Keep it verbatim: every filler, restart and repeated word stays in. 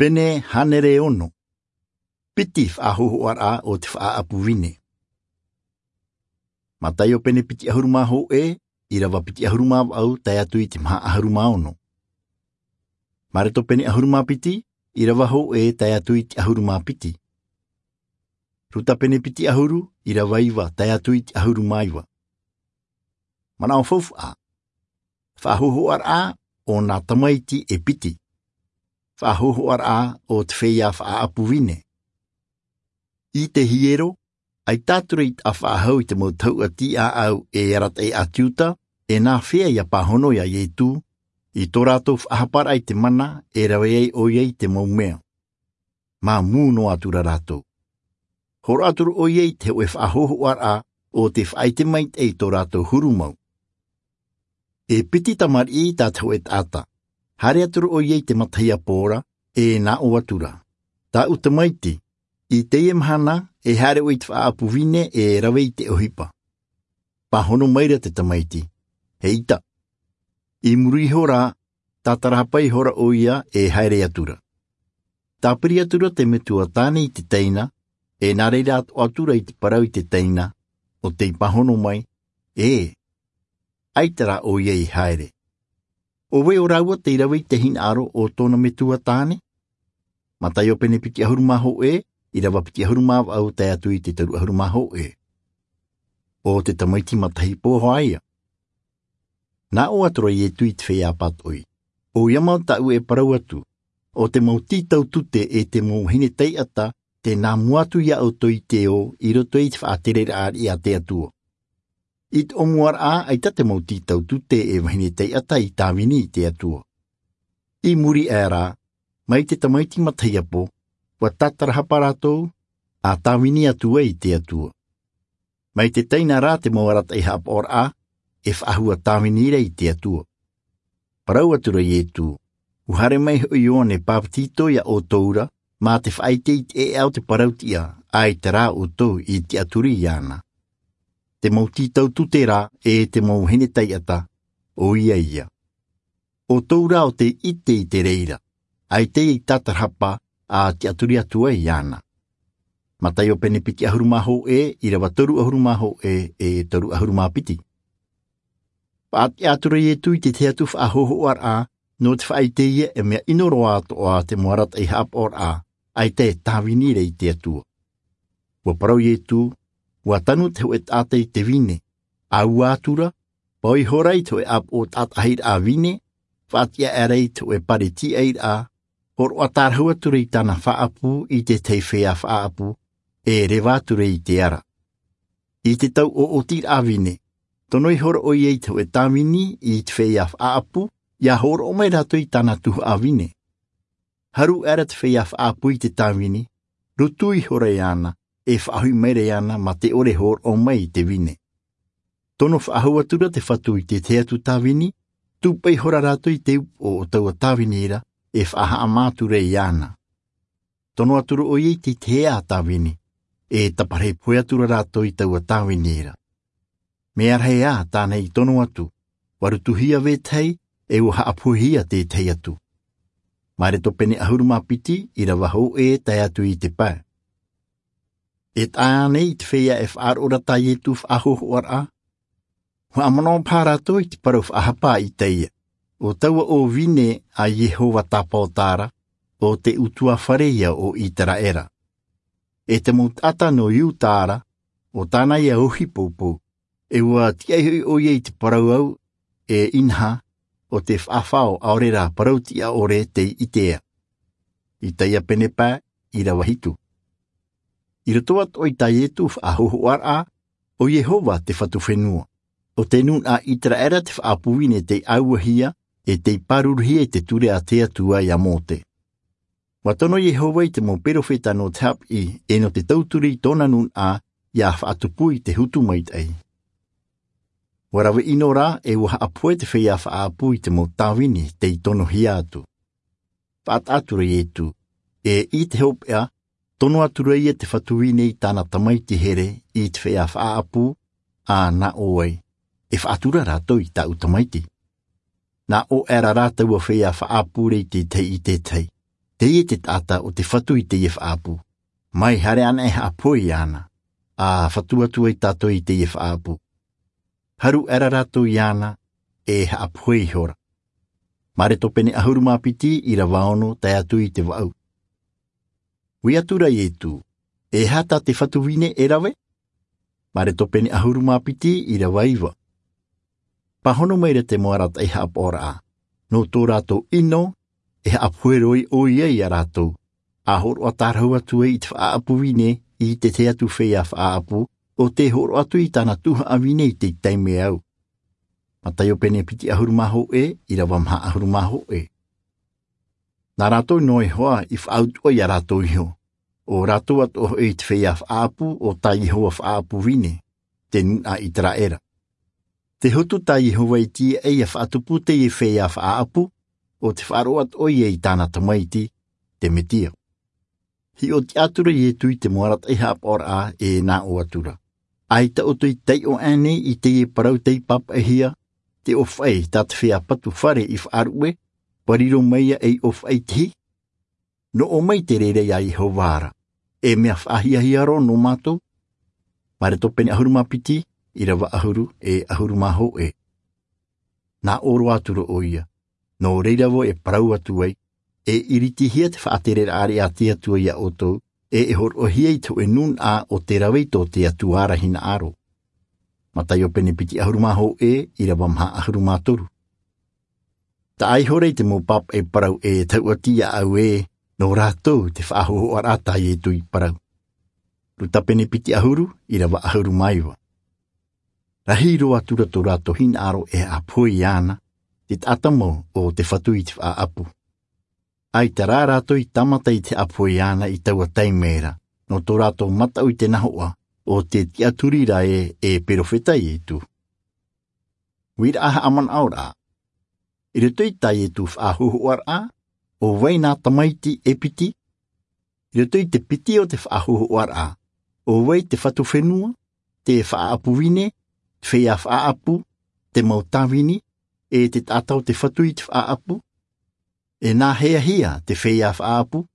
Pene hānere ono. Piti faʻahōhoʻaraʻa o te faʻaʻapu vine. Mataio pene piti ʻahuru mā hōʻē, ʻīrava piti ʻahuru mā vaʻu tae atu i te maha ʻahuru mā ono. Mareko pene ʻahuru mā piti, ʻīrava hōʻē tae atu i te ʻahuru mā piti. Ruta pene piti ʻahuru, ʻīrava iva tae atu i te ʻahuru mā iva. Manaʻo faufaʻa. Faʻahōhoʻaraʻa o nā tamaiti e piti. Faʻahōhoʻaraʻa o te feiā faʻaʻapu vine. I te hiero, ʻaita atu ra i taʻa faʻahou i te mau tahuʻa tiʻaʻau e arataʻi ʻāti Iuta, e nā fea ʻia pāhono ia Ietu, i tō rātou faʻahaparaʻa i te mana e rave ai ʻoia i te mau mea. Māmū noa atu ra rātou. Hōroʻa atu ra ʻoia i te hōʻē faʻahōhoʻaraʻa o te faʻaʻite maitaʻi i tō rātou huru mau. E piti tamariʻi tā te hōʻē taʻata. Haere atu ra ʻoia i te matahiapo ra, e nā ʻō atu ra: Tāʻu tamaiti, i teie mahana, e haere ʻoe i te faʻaʻapu vine e rave i te ʻohipa. Pāhono mai ra te tamaiti. ʻEita. I muri iho rā, tātarahapa ihora ʻoia e haere atu ra. Tāpiri atu ra te metua tāne i te teina, e nā reira atoʻa atu ra i te parau i te teina, ʻo tei pāhono mai, ē, ʻaita rā ʻoia i haere. ʻO vai o rāua tei rave i te hinaʻaro o tōna metua tāne? Mataio pene piti ʻahuru mā hōʻē, ʻīrava piti ʻahuru mā vaʻu tae atu i te toru ʻahuru mā hōʻē. ʻO te tamaiti matahiapo hoʻi ïa. Nā ʻō atu ra Ietu i te feiā pātoʻi: ʻOia mau tāʻu e parau atu, ʻo te mau tītau tute e te mau vahine taiʻata, tē nā mua atu ia ʻoutou i te ō i roto i te faʻatereraʻa a te Atua. I te ʻōmuaraʻa, ʻaita te mau tītau tute e vahine taiʻata i tāvini i te Atua. I muri aʻe rā, mai te tamaiti matahiapo, ʻua tātarahapa rātou, ʻa tāvini atu ai i te Atua. Mai te teina rā te mau arataʻi haʻapaʻoraʻa, e faʻahua tāvini ra i te Atua. Parau atu ra Ietu: ʻUa haere mai hoʻi Ioane Papetito ia ʻoutou ra, mā te faʻaʻite i te ʻēʻa o te parau-tiʻa, ʻaita rā ʻoutou i tiʻaturi iāna. Te mau tītau tute rā, e te mau vahine taiʻata, ʻoia ïa. ʻOutou rā ʻo tei ʻite i te reira, ʻaita i tātarahapa, ʻa tiʻaturi atu ai iāna. Mataio pene piti ʻahuru mā hōʻē, ʻīrava toru ʻahuru mā hōʻē, e toru ʻahuru mā piti. Faʻatiʻa atu ra Ietu i te tahi atu faʻahōhoʻaraʻa, nō te faʻaʻite ïa e mea ʻino roa atoʻa te mau arataʻi haʻapaʻoraʻa, ʻaita e tāvini ra i te Atua. ʻUa parau Ietu, ʻua tanu te hōʻē taʻata i te vine, ʻāua atu ra, paʻo ihora i te hōʻē ʻāpoʻo taʻatahiraʻa vine, faʻatiʻa aʻera i te hōʻē pare tīaʻiraʻa, hōroʻa tārahu atu ra i tāna faʻaʻapu i te tahi feiā faʻaʻapu, e reva atu ra i te ara. I te tau ʻoʻotiraʻa vine, tono ihora ʻoia i te hōʻē tāvini i te feiā faʻaʻapu, ʻia hōroʻa mai rātou i tāna tuhaʻa vine. Haru aʻera te feiā faʻaʻapu i te tāvini, rutu ihora iāna, e faʻahoʻi mai ra iāna mā te ʻore hōroʻa mai i te vine. Tono faʻahou atu ra te Fatu i te tahi atu tāvini, tūpaʻi ihora rātou i te upoʻo o taua tāvini ra, e faʻahaʻamā atu ra iāna. Tono atu ra ʻoia i te tahi ā tāvini, e taparahi pohe atu ra rātou i taua tāvini ra. Mea rahi ā tāna i tono atu, ʻua rutuhia vetahi, e ʻua haʻapohehia te tahi atu. Mareko pene ʻahuru mā piti, ʻīrava hōʻē tae atu i te pae. E tae ānei i te feiā e faʻaroʻo ra tā Ietu faʻahōhoʻaraʻa? Haʻamanaʻo paha rātou i te parau faʻahapa a Isaia. ʻO taua ʻō vine a Iehova Tāpaʻo ra, ʻo te ʻutuāfare ïa o Iseraela. E te mau taʻata nō Iuta ra, ʻo tāna ïa ʻohipa poupou. E ʻua tiʻa hoʻi ʻoia i te parau au, e inaha, ʻo te faʻafao ʻaore rā parau-tiʻa ʻore tei ʻitea. Isaia pene pae, ʻīrava hitu. I roto atoʻa i tā Ietu faʻahōhoʻaraʻa, ʻo Iehova te Fatu fenua. ʻO te nūnaʻa Iseraela te faʻaʻapu vine tei ʻāuahia, e tei pāruruhia i te ture a te Atua ia Mose. ʻUa tono Iehova i te mau perofeta nō te haʻapiʻi, e nō te tauturu i tōna nūnaʻa, ʻia faʻatupu i te hutu maitaʻi. ʻUa rave ʻino rā, e ʻua haʻapohe te feiā faʻaʻapu i te mau tāvini tei tonohia atu. Faʻataʻa atu ra Ietu, e i te hopeʻa, tono atu ra ïa te Fatu vine i tāna tamaiti here i te feiā faʻaʻapu, ʻa nā ʻō ai, e faʻatura rātou i tāʻu tamaiti. Nā ʻō aʻera rā taua feiā faʻaʻapu ra i te tahi i te tahi. Teie te taʻata o te fatu i teie faʻaʻapu. Mai haere ana e haʻapohe iāna, a fatu atu ai tātou i teie faʻaʻapu. Haru aʻera rātou iāna, e haʻapohe ihora. Mareko pene ʻahuru mā piti ʻirava ono tae atu i te vaʻu. Ui atu ra iesu, e aha tā te fatu vine e rave? Mareko pene ʻahuru mā piti ʻirava iva. Pāhono mai ra te mau arataʻi haʻapaʻoraʻa, nō tō rātou ʻino, e haʻapohe roa ʻoia iā rātou, a hōroʻa tārahu atu ai i te faʻaʻapu vine i te tahi atu feiā faʻaʻapu, ʻo tē hōroʻa atu i tāna tuhaʻa vine i te taime au. Mataio pene piti ʻahuru mā hōʻē ʻirava maha ʻahuru mā hōʻē. Nā rātou noa iho ā i faʻautuʻa iā rātou iho, ʻo rātou atoʻa hoʻi i te feiā faʻaʻapu o tā iehova faʻaʻapu vine, te nūnaʻa ʻiseraela. Te hotu tā iehova i tīaʻi ia faʻatupu teie feiā faʻaʻapu, ʻo te faʻaroʻo atoʻa ia i tāna tamaiti, te mesia. Hiʻo tiʻa atu ra iesu i te mau arataʻi haʻapaʻoraʻa, e nā ʻō atu ra, ʻaita ʻoutou i taiʻo aʻenei i teie parau tei pāpaʻihia, te ʻōfaʻi tā te feiā patu fare i faʻaruʻe, ʻua riro mai ia ei ʻōfaʻi tahi? Nō ʻō mai te reira iā iehova ra, e mea faʻahiahia roa nō mātou. Mareko pene ʻahuru mā piti ʻirava ʻahuru e ʻahuru mā hōʻē. Nā ʻō roa atu ra ʻoia, nō reira vau e parau atu ai, e iritihia te faʻatereraʻa a te atua iā ʻoutou, e e hōroʻahia i te hōʻē nūnaʻa o te rave i tō te atua ra hinaʻaro. Mataio pene piti ʻahuru mā hōʻē ʻirava maha ʻahuru mā toru. Taʻa ihora i te mau pāpaʻi parau e tauʻati iā ʻau ē, nō rātou te faʻahōhoʻaraʻa tā iesu i parau. Luka pene piti ʻahuru ʻirava ʻahuru mā iva. Rahi roa atu ra tō rātou hinaʻaro e haʻapohe iāna, te taʻata mau o te fatu i te faʻaʻapu. ʻAita rā rātou i tāmata i te haʻapohe iāna i taua taime ra, nō tō rātou mataʻu i te nahoʻa, ʻo tē tiʻaturi ra ē e perofeta iesu. Uiraʻa haʻamanaʻoraʻa. I roto i tā iesu faʻahōhoʻaraʻa, ʻo vai nā tamaiti e piti? I roto i te piti o te faʻahōhoʻaraʻa, ʻo vai te fatu fenua, te faʻaʻapu vine, te feiā faʻaʻapu, te mau tāvini, e te taʻata o te fatu i te faʻaʻapu? E nāheahia te feiā faʻaʻapu?